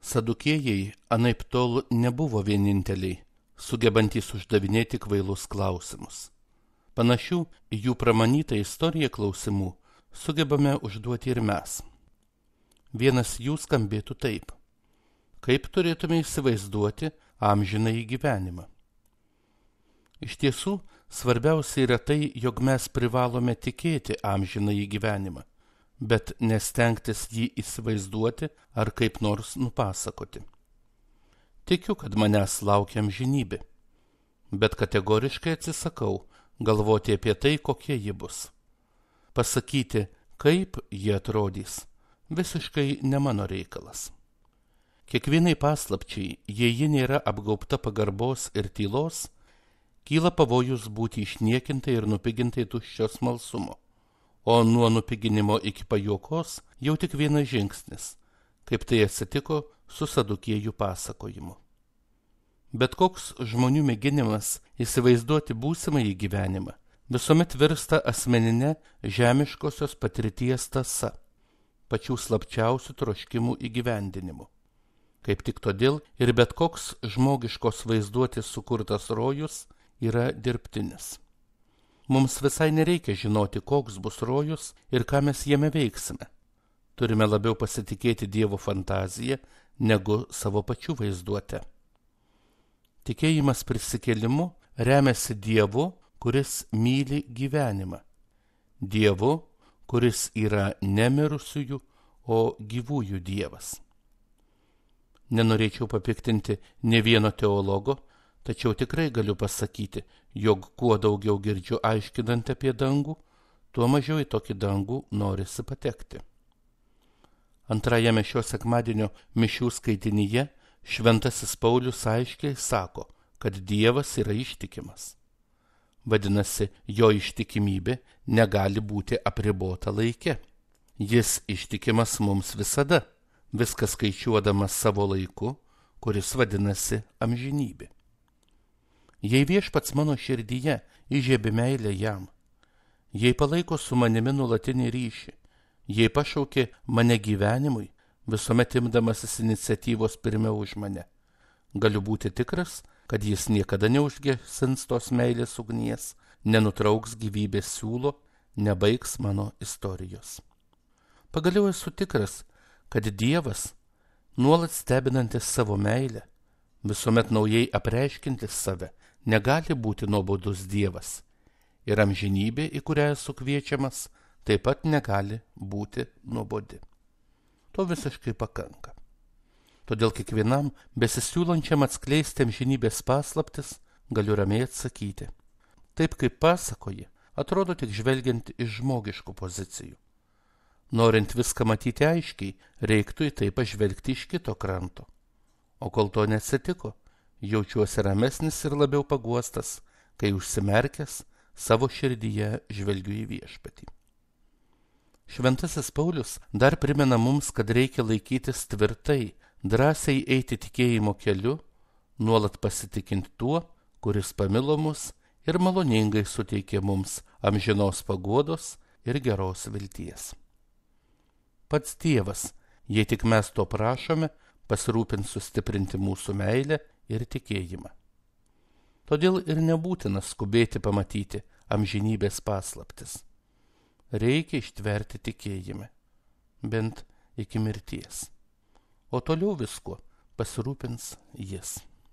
Sadukėjai anaiptol nebuvo vieninteliai, sugebantys uždavinėti kvailus klausimus. Panašių į jų pramanytą istoriją klausimų sugebame užduoti ir mes. Vienas jų skambėtų taip: kaip turėtume įsivaizduoti amžinąjį gyvenimą? Iš tiesų, svarbiausia yra tai, jog mes privalome tikėti amžinąjį gyvenimą, bet nestengtis jį įsivaizduoti ar kaip nors nupasakoti. Tikiu, kad manęs laukia amžinybė, bet kategoriškai atsisakau galvoti apie tai, kokie ji bus. Pasakyti, kaip ji atrodys, visiškai ne mano reikalas. Kiekvienai paslapčiai, jei ji nėra apgaubta pagarbos ir tylos, kyla pavojus būti išniekintai ir nupigintai tuščio smalsumo, o nuo nupiginimo iki pajuokos jau tik vienas žingsnis, kaip tai atsitiko su Sadukėjų pasakojimu. Bet koks žmonių mėginimas įsivaizduoti būsimąjį gyvenimą visuomet virsta asmeninė žemiškosios patirties tąsa, pačių slapčiausių troškimų įgyvendinimu. Kaip tik todėl ir bet koks žmogiškos vaizduotės sukurtas rojus yra dirbtinis. Mums visai nereikia žinoti, koks bus rojus ir ką mes jame veiksime. Turime labiau pasitikėti Dievo fantaziją negu savo pačių vaizduotę. Tikėjimas prisikėlimu remiasi Dievu, kuris myli gyvenimą. Dievu, kuris yra ne mirusiųjų, o gyvųjų Dievas. Nenorėčiau papiktinti ne vieno teologo, tačiau tikrai galiu pasakyti, jog kuo daugiau girdžiu aiškinant apie dangų, tuo mažiau į tokį dangų norisi patekti. Antrajame šio sekmadienio mišių skaitinyje Šventasis Paulius aiškiai sako, kad Dievas yra ištikimas. Vadinasi, jo ištikimybė negali būti apribota laike. Jis ištikimas mums visada, viską skaičiuodamas savo laiku, kuris vadinasi amžinybė. Jei Viešpats mano širdyje įžiebė meilę jam, jei palaiko su manimi nuolatinį ryšį, jei pašaukė mane gyvenimui, visuomet imdamasis iniciatyvos pirmiau už mane, galiu būti tikras, kad jis niekada neužgesins tos meilės ugnies, nenutrauks gyvybės siūlo, nebaigs mano istorijos. Pagaliau esu tikras, kad Dievas, nuolat stebinantis savo meilę, visuomet naujai apreiškintis save, negali būti nuobodus Dievas, ir amžinybė, į kurią esu kviečiamas, taip pat negali būti nuobodi. To visiškai pakanka. Todėl kiekvienam besisiūlančiam atskleisti amžinybės paslaptis galiu ramiai atsakyti. Taip kaip pasakoji, atrodo tik žvelgiant iš žmogiškų pozicijų. Norint viską matyti aiškiai, reiktų į tai pažvelgti iš kito kranto. O kol to neatsitiko, jaučiuosi ramesnis ir labiau paguostas, kai užsimerkęs savo širdyje žvelgiu į Viešpatį. Šventasis Paulius dar primena mums, kad reikia laikytis tvirtai, drąsiai eiti tikėjimo keliu, nuolat pasitikint tuo, kuris pamilo mus ir maloningai suteikė mums amžinos paguodos ir geros vilties. Pats Dievas, jei tik mes to prašome, pasirūpins sustiprinti mūsų meilę ir tikėjimą. Todėl ir nebūtina skubėti pamatyti amžinybės paslaptis. Reikia ištverti tikėjime, bent iki mirties. O toliau viskuo pasirūpins jis.